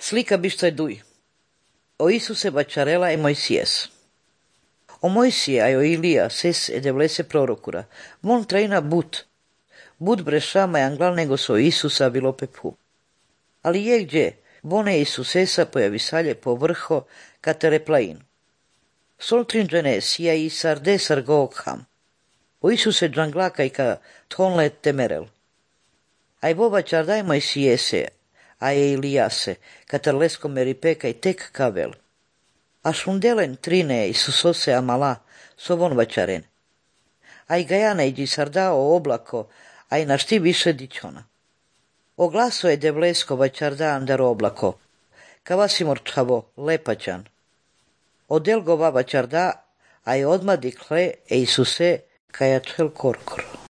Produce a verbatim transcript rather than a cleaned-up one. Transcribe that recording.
Slika bišto je duj. O Isuse bačarela e Moisies. O Moisije a o Ilija ses e devlese prorokura. Von treina but. But brešama e anglal nego so Isusa bilo pepu. Ali je gdje, vone Isusesa pojavisalje po vrho katereplain. Soltrin džene sija i sarde sargokham. O Isuse džanglaka i ka tonle temerel. Aj boba čardaj Moisijese, a je Ilijase, katarlesko meripeka i tek kavel. A šundelen trine Isusose amala, sovon vačaren. Aj gajana iđi sardao oblako, aj na šti više dičona. O glaso je devlesko vačarda andar oblako, kavasimor čavo, lepačan. O delgova vačarda, aj odmah dikle e Isuse kajačel korkor.